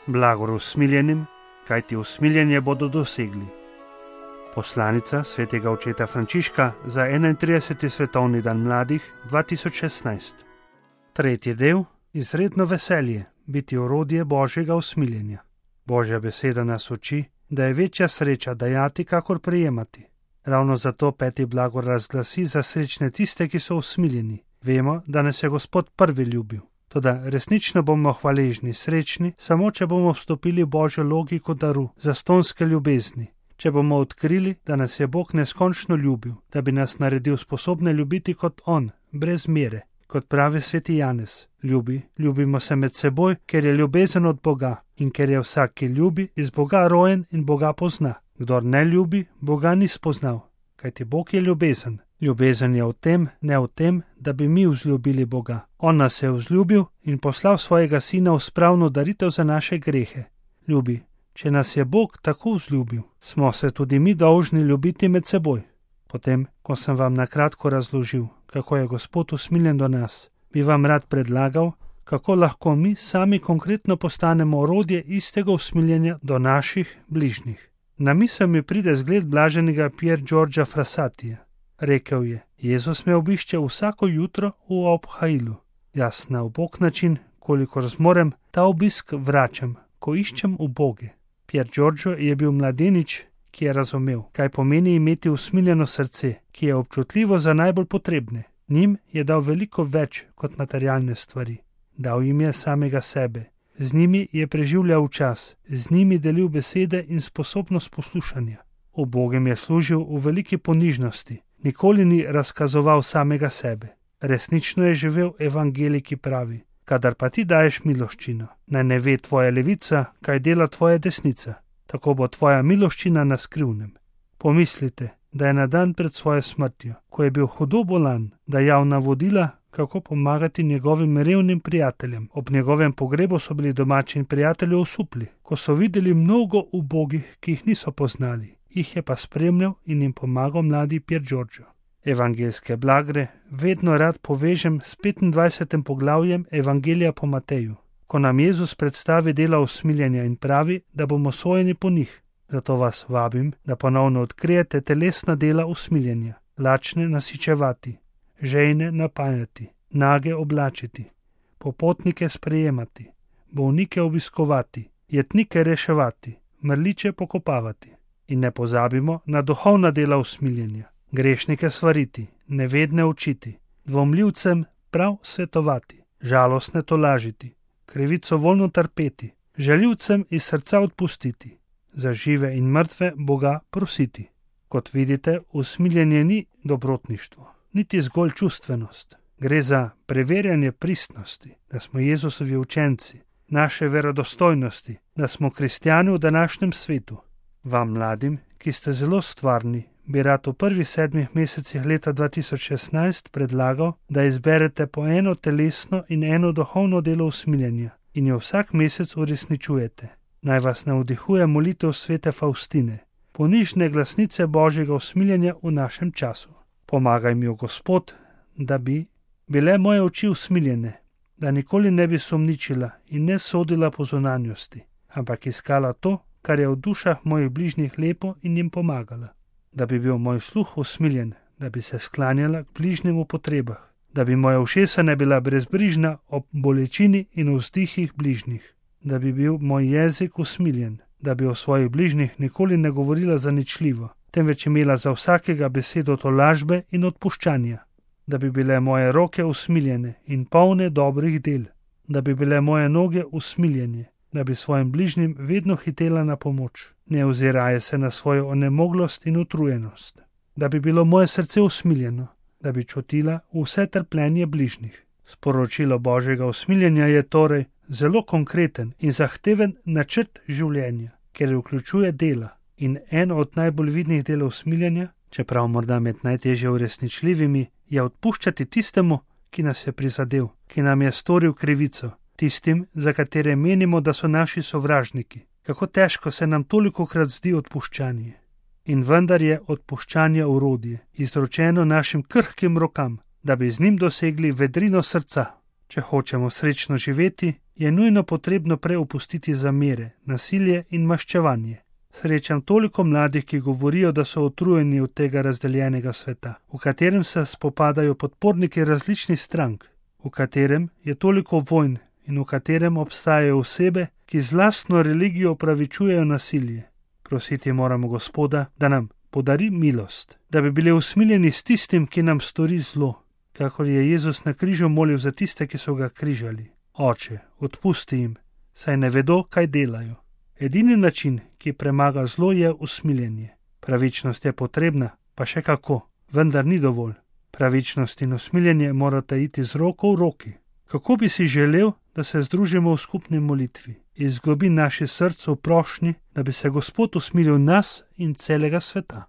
Blagor usmiljenim, kajti usmiljenje bodo dosegli. Poslanica svetega očeta Frančiška za 31. svetovni dan mladih 2016. Tretji del, izredno veselje, biti orodje Božjega usmiljenja. Božja beseda nas uči, da je večja sreča dajati, kakor prejemati. Ravno zato peti blagor razglasi za srečne tiste, ki so usmiljeni. Vemo, da nas je Gospod prvi ljubil. Toda resnično bomo hvaležni, srečni, samo če bomo vstopili v Božjo logiko daru, zastonske ljubezni. Če bomo odkrili, da nas je Bog neskončno ljubil, da bi nas naredil sposobne ljubiti kot On, brez mere. Kot pravi sveti Janez, ljubimo se med seboj, ker je ljubezen od Boga in ker je vsak, ki ljubi, iz Boga rojen in Boga pozna. Kdor ne ljubi, Boga ni spoznal, kajti Bog je ljubezen. Ljubezen je v tem, ne v tem, da bi mi vzljubili Boga. On nas je vzljubil in poslal svojega sina v spravno daritev za naše grehe. Ljubi, če nas je Bog tako vzljubil, smo se tudi mi dolžni ljubiti med seboj. Potem, ko sem vam na kratko razložil, kako je Gospod usmiljen do nas, bi vam rad predlagal, kako lahko mi sami konkretno postanemo orodje istega usmiljenja do naših bližnjih. Na misel mi pride zgled blaženega Pier Giorgia Frassatija. Rekel je, Jezus me obišče vsako jutro v obhajilu. Jaz na ubog način, kolikor zmorem, ta obisk vračam, ko iščem uboge. Pier Giorgio je bil mladenič, ki je razumel, kaj pomeni imeti usmiljeno srce, ki je občutljivo za najbolj potrebne. Njim je dal veliko več kot materialne stvari. Dal jim je samega sebe. Z njimi je preživljal čas, z njimi delil besede in sposobnost poslušanja. Ubogim je služil v veliki ponižnosti. Nikoli ni razkazoval samega sebe. Resnično je živel evangelij, ki pravi, kadar pa ti daješ miloščino, naj ne ve tvoja levica, kaj dela tvoja desnica, tako bo tvoja miloščina na skrivnem. Pomislite, da je na dan pred svojo smrtjo, ko je bil hudo bolan, dajal navodila, kako pomagati njegovim revnim prijateljem. Ob njegovem pogrebu so bili domači in prijatelji osupli, ko so videli mnogo ubogih, ki jih niso poznali. Jih je pa spremljal in jim pomagal mladi Pier Giorgio. Evangeljske blagre vedno rad povežem s 25. poglavjem Evangelija po Mateju, ko nam Jezus predstavi dela usmiljenja in pravi, da bomo sojeni po njih. Zato vas vabim, da ponovno odkrijete telesna dela usmiljenja, lačne nasičevati, žejne napajati, nage oblačiti, popotnike sprejemati, bolnike obiskovati, jetnike reševati, mrliče pokopavati. In ne pozabimo na duhovna dela usmiljenja, grešnike svariti, nevedne učiti, dvomljivcem prav svetovati, žalostne tolažiti, krivico voljno trpeti, žaljivcem iz srca odpustiti, za žive in mrtve Boga prositi. Kot vidite, usmiljenje ni dobrotništvo, niti zgolj čustvenost. Gre za preverjanje pristnosti, da smo Jezusovi učenci, naše verodostojnosti, da smo kristjani v današnjem svetu. Vam mladim, ki ste zelo stvarni, bi rad v prvih 7 mesecih leta 2016 predlagal, da izberete po eno telesno in eno duhovno delo usmiljenja in jo vsak mesec uresničujete. Naj vas navdihuje molitev svete Faustine, ponižne glasnice Božjega usmiljenja v našem času. Pomagaj mi, Gospod, da bi bile moje oči usmiljene, da nikoli ne bi sumničila in ne sodila po zunanjosti, ampak iskala to, kar je v dušah mojih bližnjih lepo in jim pomagala. Da bi bil moj sluh usmiljen, da bi se sklanjala k bližnjim v potrebah, da bi moja ušesa ne bila brezbrižna ob bolečini in vzdihih bližnjih, da bi bil moj jezik usmiljen, da bi o svojih bližnjih nikoli ne govorila zaničljivo, temveč imela za vsakega besedo tolažbe in odpuščanja, da bi bile moje roke usmiljene in polne dobrih del, da bi bile moje noge usmiljene, da bi svojim bližnjim vedno hitela na pomoč, ne oziraje se na svojo onemoglost in utrujenost, da bi bilo moje srce usmiljeno, da bi čutila vse trpljenje bližnjih. Sporočilo Božjega usmiljenja je torej zelo konkreten in zahteven načrt življenja, ker vključuje dela. In eno od najbolj vidnih delov usmiljenja, čeprav morda med najtežje uresničljivimi, je odpuščati tistemu, ki nas je prizadel, ki nam je storil krivico, tistim, za katere menimo, da so naši sovražniki. Kako težko se nam tolikokrat zdi odpuščanje. In vendar je odpuščanje orodje, izročeno našim krhkim rokam, da bi z njim dosegli vedrino srca. Če hočemo srečno živeti, je nujno potrebno prej opustiti zamere, nasilje in maščevanje. Srečam toliko mladih, ki govorijo, da so utrujeni od tega razdeljenega sveta, v katerem se spopadajo podporniki različnih strank, v katerem je toliko vojn in v katerem obstajajo osebe, ki z lastno religijo opravičujejo nasilje. Prositi moramo Gospoda, da nam podari milost, da bi bili usmiljeni s tistim, ki nam stori zlo, kakor je Jezus na križu molil za tiste, ki so ga križali. Oče, odpusti jim, saj ne vedo, kaj delajo. Edini način, ki premaga zlo, je usmiljenje. Pravičnost je potrebna, pa še kako, vendar ni dovolj. Pravičnost in usmiljenje morata iti z roko v roki. Kako bi si želel, da se združimo v skupni molitvi, iz globin naših src v prošnji, da bi se Gospod usmilil nas in celega sveta.